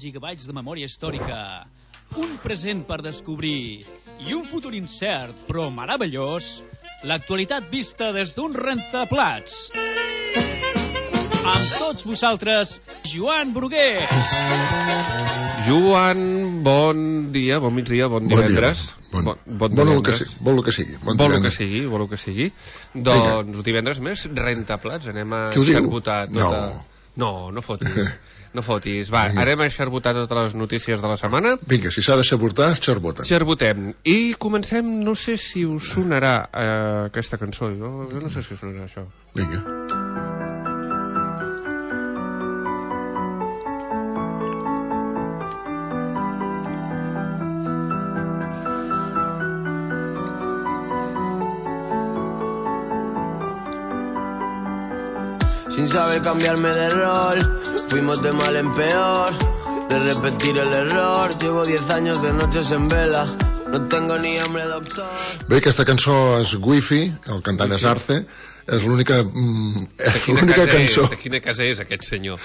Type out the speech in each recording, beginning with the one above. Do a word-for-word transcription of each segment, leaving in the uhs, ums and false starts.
Gigabytes de memòria històrica, un present per descobrir i un futur incert però meravellós, l'actualitat vista des d'un rentaplats. Amb tots vosaltres, Joan Brugués. Joan, bon dia, bon migdia, bon divendres. Bon, bon, bon bon, divendres. Vol el que sigui. Bon vol el que sigui, vol el que sigui. Doncs divendres més, rentaplats, anem a xarbotar tota... No. No, no fotis. No fotis. Va, Vinga. Anem a xarbotar totes les notícies de la setmana. Vinga, si s'ha de xarbotar, xarboten. Xarbotem. I comencem, no sé si us sonarà eh, aquesta cançó. Jo, jo no sé si us sonarà això. Vinga. Sin saber cambiarme de rol, fuimos de mal en peor, de repetir el error. Llevo diez años de noches en vela, no tengo ni hambre, doctor. Bé, aquesta cançó és Wi-Fi, el cantant és Arce, és l'única mm, és l'única cançó... De quina casa és aquest senyor?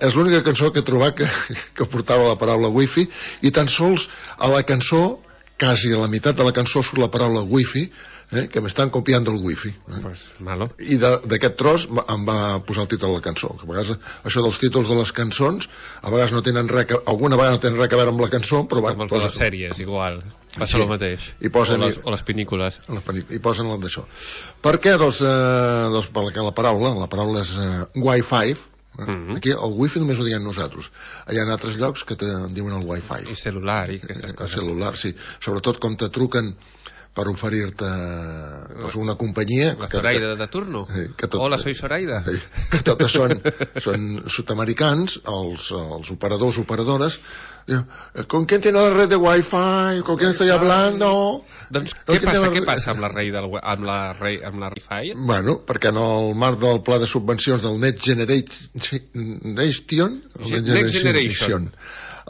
És l'única cançó que he trobat que, que portava la paraula Wi-Fi, i tan sols a la cançó, quasi a la meitat de la cançó surt la paraula Wi-Fi, Eh, que m'estan copiant el wifi eh? Pues malo. I d'aquest tros em va posar el títol de la cançó, que a vegades això dels títols de les cançons a vegades no tenen res que, alguna vegada no tenen res a veure amb la cançó, però com els de les sèries, igual passa sí. El mateix. I posen, o, les, o les pinnícules i posen el d'això. Per què? Doncs, eh, doncs perquè la paraula la paraula és eh, Wi-Fi. Eh? Mm-hmm. Aquí el wifi només ho diem nosaltres. Hi ha altres llocs que te diuen el Wi-Fi. I celular i aquestes coses. El celular, sí. Sobretot com te truquen per oferir-te doncs, una companyia... La Zoraida que, de turno? Eh, que tot, Hola, soy Zoraida. Eh, que totes són, són sud-americans, els, els operadors, operadores, diuen, ¿con quién tiene la red de Wi-Fi? ¿Con quién estoy hablando? Doncs què passa, què passa amb la rei del amb la rei, amb la Wi-Fi? Bueno, perquè en el marc del pla de subvencions del Next Generation, Next Generation,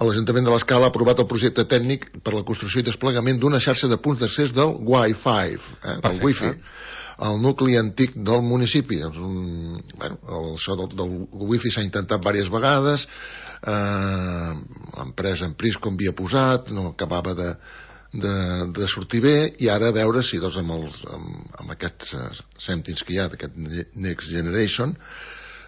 l'Ajuntament de l'Escala ha aprovat el projecte tècnic per la construcció i desplegament d'una xarxa de punts d'accés del Wi-Fi, eh, del Wi-Fi, al nucli antic del municipi. Un, bueno, el, això del, del Wi-Fi s'ha intentat diverses vegades, eh, l'empresa en Prisco havia posat, no acabava de, de, de sortir bé, i ara a veure si doncs, amb, els, amb, amb aquests uh, cèntims que hi ha d'aquest Next Generation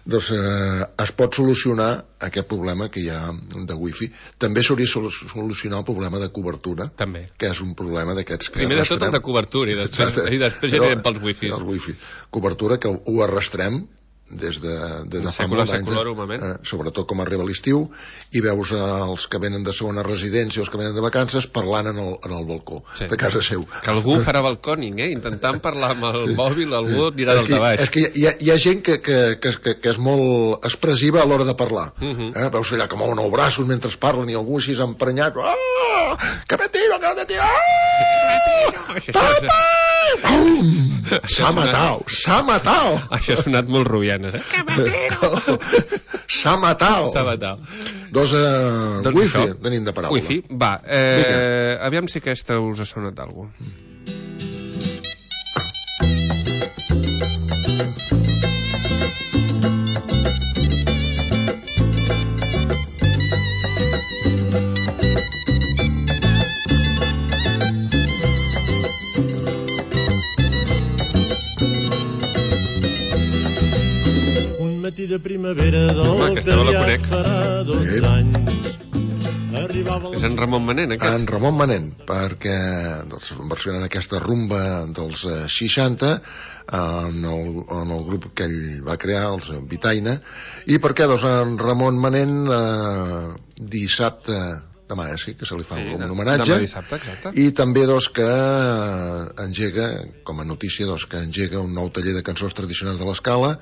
doncs eh, es pot solucionar aquest problema que hi ha de wifi. També s'hauria de solucionar el problema de cobertura, també, que és un problema d'aquests que primer arrastrem. De tot el de cobertura i després, i després ja anirem pels wifis. El wifi. Cobertura que ho arrastrem des de, des de fa molt anys, eh, sobretot com arriba l'estiu, i veus eh, els que venen de segona residència o els que venen de vacances parlant en el, en el balcó sí. de casa seu. Que algú farà balcòning, eh? Intentant parlar amb el mòbil, algú dirà del de baix. És que hi ha, hi ha gent que, que, que, que, que és molt expressiva a l'hora de parlar. Uh -huh. eh? Veus allà que mouen els braços mentre parlen i algú així emprenyat. Oh, que me tiro, que me tiro! Papa! S'ha matat, s'ha matat. Això ha sonat molt rubianes, eh? Que me tiro! S'ha matat. S'ha matat. Doncs, eh, doncs wifi, això. Tenim de paraula. Wifi, va. Eh, aviam si aquesta us ha sonat d'algú. De primavera del que ja farà dos sí. anys. És en Ramon Manent, aquest? En Ramon Manent, perquè doncs, versionant aquesta rumba dels eh, seixanta en el, en el grup que ell va crear, els Vitaina, i perquè doncs, en Ramon Manent eh, dissabte demà, eh, sí, que se li fa sí, un homenatge, dissabte, i també doncs, que engega, com a notícia, doncs, que engega un nou taller de cançons tradicionals de l'Escala,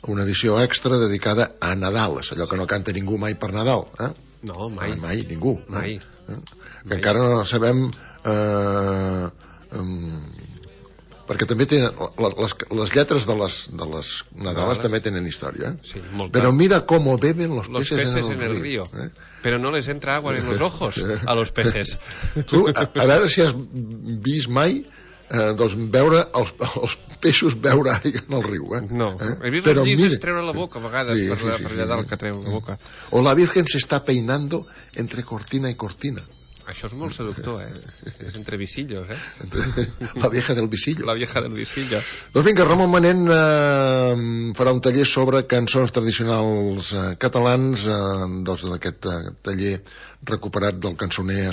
una edició extra dedicada a Nadal, és allò que no canta ningú mai per Nadal, eh? No, mai. Mai, mai ningú. Mai. Eh? Que mai. Encara no sabem... Eh, um, perquè també tenen... Les, les lletres de les, de les Nadales també tenen història. Eh? Sí, molta. Pero mira cómo beben los, los peces, peces en el, en el río. río. ¿Eh? Pero no les entra agua en los ojos a los peces. Tu, a, a veure si has vist mai eh, doncs veure els, els peixos beure aigua en el riu, eh? No, eh? he vist els llises treure la boca a vegades, sí, per, sí, sí, per allà dalt sí, que treu la boca. O la Virgen se está peinando entre cortina y cortina. Això és molt seductor, eh? És entre visillos, eh? La vieja del visillo. La vieja del visillo. Doncs vinga, Ramon Manent eh, farà un taller sobre cançons tradicionals eh, catalans, eh, doncs d'aquest eh, taller recuperat del cançoner,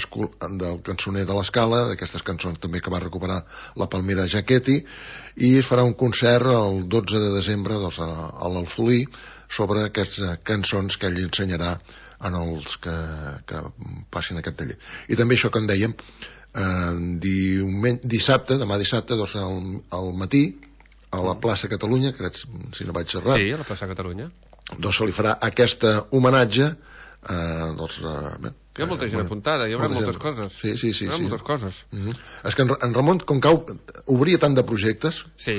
del cançoner de l'Escala, d'aquestes cançons també que va recuperar la Palmira Jaquetti, i es farà un concert el dotze de desembre doncs, a, a l'Alfolí sobre aquestes cançons que ell ensenyarà en els que, que passin aquest taller. I també això que en dèiem, eh, diumen... dissabte, demà dissabte, doncs al, al matí, a la plaça Catalunya, crec, si no vaig errat. Sí, a la plaça Catalunya. Doncs se li farà aquesta homenatge, eh, doncs... Eh, bé, hi ha molta gent apuntada, hi haurà moltes coses. Sí, sí, sí. Hi haurà sí. moltes coses. Mm-hmm. És que en, en Ramon, com que obria tant de projectes, sí,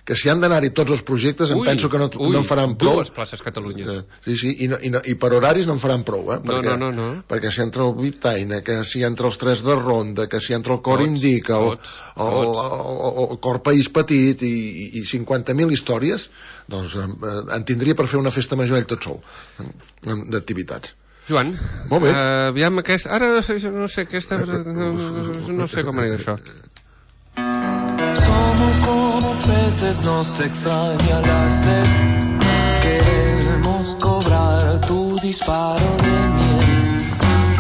que si han d'anar-hi tots els projectes, ui, em penso que no, ui, no en faran prou. Dues places Catalunyes. Eh, sí, sí, i, no, i, no, i per horaris no en faran prou, eh? Perquè, no, no, no, no. Perquè si entra el Vitaina, que si entra els Tres de Ronda, que si entra el Cor tots, Indica, el, tots, el, tots. El, el, el Cor País Petit i, i, i cinquanta mil històries, doncs eh, en tindria per fer una festa major ell tot sol, eh, d'activitats. Joan, molt bé. Uh, aviam aquest... Ara no sé, aquesta... No, no sé com anirà això. Somos como peces, nos extraña la sed. Queremos cobrar tu disparo de miel.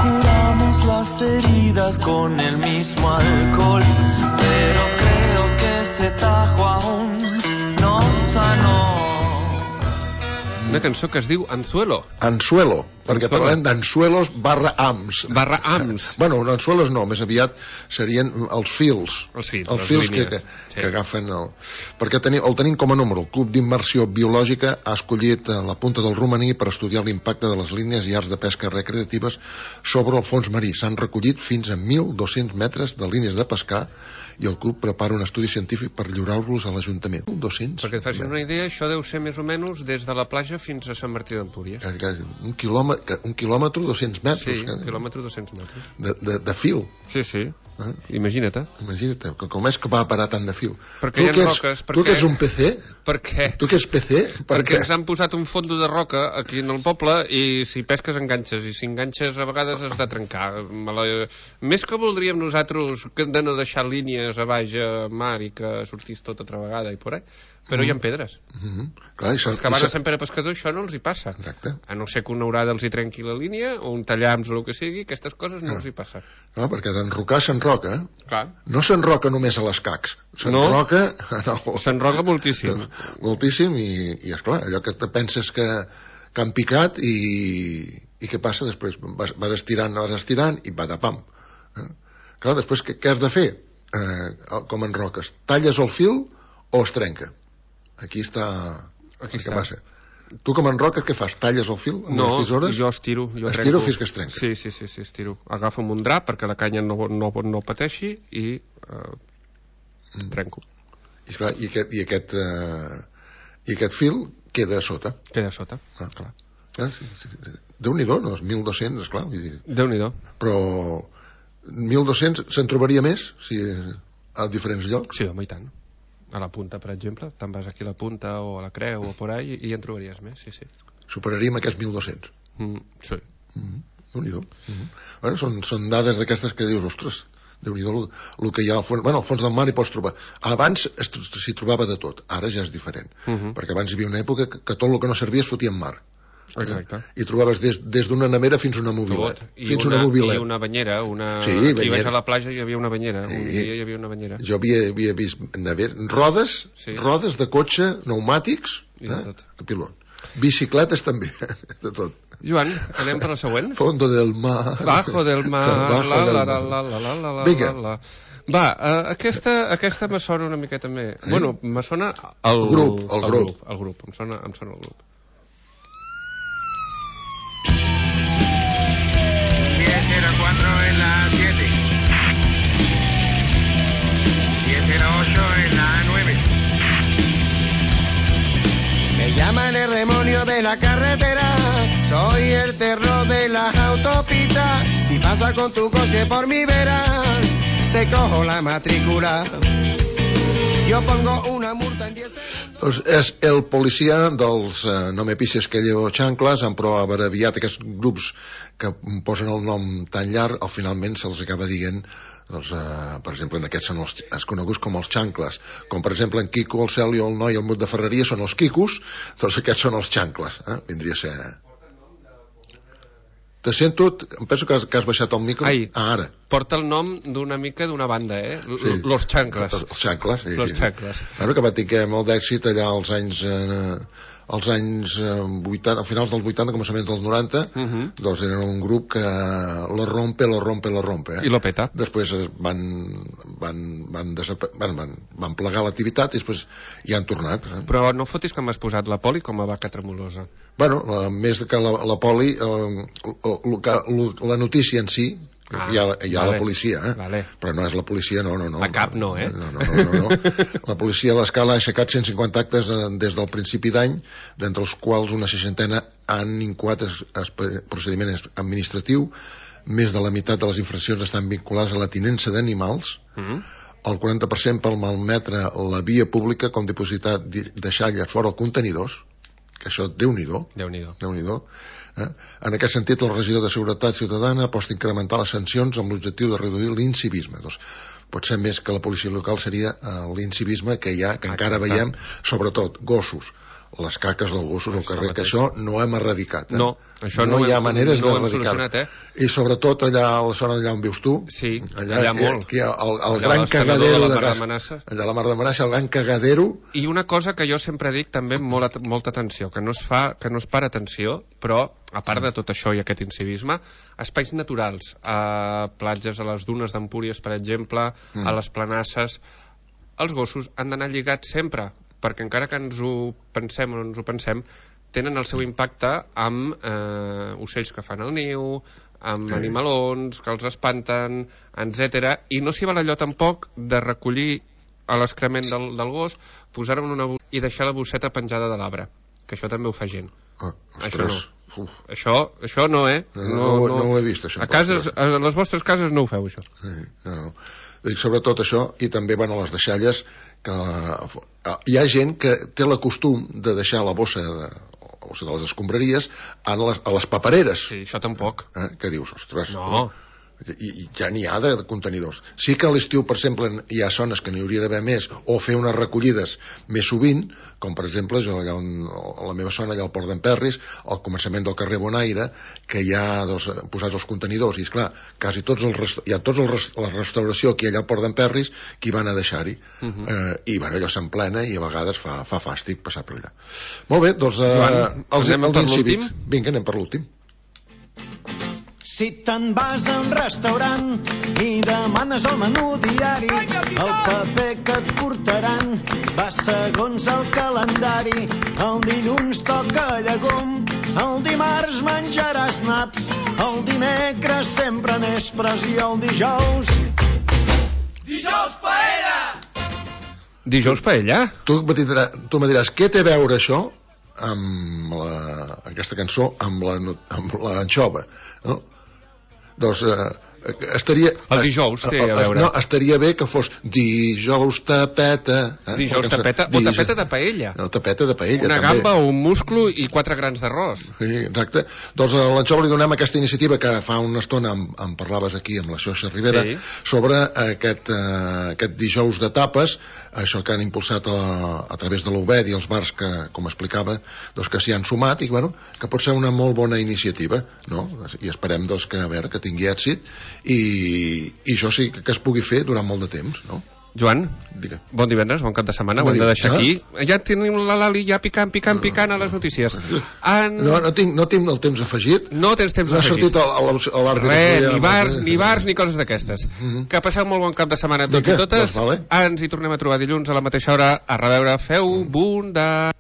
Curamos las heridas con el mismo alcohol, pero creo que ese tajo aún no sanó. Una cançó que es diu Anzuelo. Anzuelo, perquè Anzuelo. Parlem d'anzuelos barra ams. Barra ams. Bueno, anzuelos no, més aviat serien els fils. Els fils, els les fils línies. Que, que, sí. que agafen el... Perquè teni, el tenim com a número. El Club d'Immersió Biològica ha escollit la punta del romaní per estudiar l'impacte de les línies i arts de pesca recreatives sobre el fons marí. S'han recollit fins a mil dos-cents metres de línies de pescar i el club prepara un estudi científic per lliurar-los a l'Ajuntament. dos-cents Perquè et facis una idea, això deu ser més o menys des de la platja fins a Sant Martí d'Empúries. Un quilòmetre, un quilòmetre dos-cents metres. Sí, un quilòmetre dos-cents metres. De, de, de fil. Sí, sí. Eh? Imagina't. Imagina't, com és que va parar tant de fil. Perquè hi ha roques. Tu que ets un P C? Per què? Tu que ets P C? Per perquè què? Ens han posat un fondo de roca aquí en el poble i si pesques enganxes, i si enganxes a vegades has de trencar. Més que voldríem nosaltres de no deixar línies a baix a mar i que sortís tot altra vegada i por ahí, però mm. hi ha pedres. Mm-hmm. Clar, els que van a Sant Pere Pescador això no els hi passa. Exacte. A no ser que una orada els hi trenqui la línia o un tallams o el que sigui, aquestes coses no ah. els hi passa. No, perquè d'enrocar s'enroca. Clar. No s'enroca només a les cacs. S'enroca... No, s'enroca moltíssim. Moltíssim i, i esclar, allò que te penses que, que han picat i, i què passa després? Vas, vas estirant, vas estirant i va de pam. Eh? Clar, després què, què has de fer? Eh, com enroques? Talles el fil o es trenca? Aquí està... Aquí està. Passa. Tu com enroques què fas? Talles el fil amb no, les tisores? No, jo estiro. Jo estiro fins que es trenca? Sí, sí, sí, sí, estiro. Agafo un drap perquè la canya no, no, no pateixi i eh, mm. trenco. I, esclar, i, aquest, i, aquest, eh, I aquest fil queda a sota. Queda a sota, ah. clar. Ah, sí, sí, sí. Déu-n'hi-do, no? mil dos-cents, esclar. Vull dir. Déu-n'hi-do. Però mil dos-cents se'n trobaria més si, a diferents llocs? Sí, home, i tant. A la punta, per exemple, te'n vas aquí a la punta o a la creu o por ahí i en trobaries més, sí, sí. Superaríem aquests mil dos-cents? Mm, sí. Mm-hmm. Déu-n'hi-do. Mm-hmm. Bueno, són, són dades d'aquestes que dius, ostres, Déu-n'hi-do el que hi ha al fons. Bueno, al fons del mar hi pots trobar. Abans s'hi trobava de tot, ara ja és diferent. Mm-hmm. Perquè abans hi havia una època que, que tot el que no servia es fotia en mar. Exacte. I trobaves des, des d'una nevera fins a una mobilet. I, fins una, una mobilet. I una banyera. Una... Sí, banyera. Aquí vaig a la platja i hi havia una banyera. Sí. Un dia hi havia una banyera. Jo havia, havia vist never... rodes, sí. rodes de cotxe, pneumàtics, i de tot. Eh? Pilot. Bicicletes també, de tot. Joan, anem per la següent? Fondo del mar. Bajo del mar. Bajo la, del la, mar. La, la, la, la, la, Vinga. La, la. Va, uh, aquesta, aquesta me sona una miqueta més. Eh? Bueno, me sona el, el grup. El, el grup. grup. El grup, em sona, em sona el grup. Llaman el demonio de la carretera, soy el terror de las autopistas. Si pasa con tu coche por mi vera, te cojo la matrícula. Yo pongo una multa en diez segundos. Doncs és el policia dels eh, no me pises que llevo xancles, han prou abreviat aquests grups que posen el nom tan llarg, al finalment se'ls acaba dient, doncs, eh, per exemple, en aquests són els, els coneguts com els xancles, com per exemple en Quico, el Celio, el Noi, el Mut de Ferreria són els quicos, doncs aquests són els xancles, eh? Vindria a ser... Te sento, em penso que has, que has baixat el micro. Ai, ah, ara. Porta el nom d'una mica d'una banda, eh? Sí. Los Chancles. Els xancles, sí. Los Chancles. Bueno, que va tenir molt d'èxit allà als anys... Eh, als anys eh, vuitanta, a finals dels vuitanta, començaments dels noranta, uh -huh. doncs eren un grup que lo rompe, lo rompe, lo rompe. Eh? I lo peta. Després van, van, van, van, van, van plegar l'activitat i després hi han tornat. Eh? Però no fotis que m'has posat la poli com a vaca tremolosa. Bueno, la, més que la, la poli, eh, la, la notícia en si, Ah, hi ha, hi ha vale. La policia, eh? Vale. Però no és la policia, no, no, no. La cap no, eh? No, no, no, no, no. La policia a l'Escala ha aixecat cent cinquanta actes des del principi d'any, d'entre els quals una seixantena han incoat es, es, procediment administratiu, més de la meitat de les infraccions estan vinculades a la tinença d'animals, mm-hmm. el quaranta per cent pel malmetre la via pública, com dipositar deixalles fora els contenidors, que això, Déu-n'hi-do. Déu-n'hi-do. Déu-n'hi-do. Eh? En aquest sentit, el regidor de Seguretat Ciutadana aposta incrementar les sancions amb l'objectiu de reduir l'incivisme. Doncs, potser més que la policia local seria eh, l'incivisme que hi ha, que encara veiem, sobretot gossos, les caques dels gossos al carrer, que això no hem erradicat. Eh? No, això no, no hi ha hem, maneres no d'erradicar-ho. Eh? I sobretot allà a la zona allà on vius tu, sí, allà, allà molt. Aquí, el, el allà gran cagadero de la de Mar gas, de Manassa. allà a la Mar de Manassa, el gran cagadero. I una cosa que jo sempre dic també amb molta, molta atenció, que no es fa, que no es para atenció, però a part de tot això i aquest incivisme, espais naturals, a platges, a les dunes d'Empúries, per exemple, mm. a les planasses, els gossos han d'anar lligats sempre, perquè encara que ens ho pensem o no ens ho pensem, tenen el seu impacte amb eh, ocells que fan el niu, amb sí. animalons que els espanten, etcètera. I no s'hi val allò tampoc de recollir a l'excrement del, del gos, posar-ho en una bosseta i deixar la bosseta penjada de l'arbre, que això també ho fa gent. Ah, això no. Uf. Això, això no, eh? No, no, no, no, no ho he vist, això. A, cases, a les vostres cases no ho feu, això. Sí, no. Dic, sobretot això, i també van a les deixalles, que hi ha gent que té la costum de deixar la bossa de, la bossa de les escombraries a les, a les papereres. Sí, això tampoc. Eh? Què dius? Ostres, no. I, i ja n'hi ha de contenidors. Sí que a l'estiu, per exemple, hi ha zones que n'hi hauria d'haver més, o fer unes recollides més sovint, com per exemple jo, allà on, a la meva zona, allà al Port d'Emperris, al començament del carrer Bonaire, que hi ha doncs, posats els contenidors, i esclar, quasi tots els hi ha tots els, la restauració aquí allà al Port d'Emperris qui van a deixar-hi, uh -huh. eh, i bueno, allò s'emplena i a vegades fa, fa fàstic passar per allà. Molt bé, doncs eh, Joan, els, anem els per incívics. l'últim? Vinga, anem per l'últim. Si te'n vas a un restaurant i demanes el menú diari, el paper que et portaran va segons el calendari. El dilluns toca llegum, el dimarts menjaràs naps, el dimecres sempre n'és pres i el dijous... Dijous paella! Dijous paella? Tu, tu me diràs, què té a veure això amb la, aquesta cançó amb la, amb l'anxova, no? Doncs eh, estaria... El dijous té a veure. No, estaria bé que fos dijous tapeta... Eh? Dijous tapeta o tapeta de paella. No, tapeta de paella, una també. Gamba, un musclo i quatre grans d'arròs. Sí, exacte. Doncs a l'Anxova li donem aquesta iniciativa que fa una estona em, em parlaves aquí amb la Xoixa Rivera, sí. sobre aquest, eh, aquest dijous de tapes, això que han impulsat a, a través de l'U B E D i els bars que, com explicava, doncs que s'hi han sumat i bueno, que pot ser una molt bona iniciativa, no? I esperem doncs, que, a veure, que tingui èxit i, i això sí que es pugui fer durant molt de temps, no? Joan, Digue. Bon divendres, bon cap de setmana, bon ho hem de deixar aquí. Ja tenim la Lali ja picant, picant, picant a les notícies. En... No, no tinc, no tinc el temps afegit. No tens temps no afegit. No ha sortit l'àrbitre. Res, ni bars, ni bars, ni coses d'aquestes. Mm-hmm. Que passeu molt bon cap de setmana tots i totes. Doncs vale. Ens hi tornem a trobar dilluns a la mateixa hora. A reveure, feu bunda.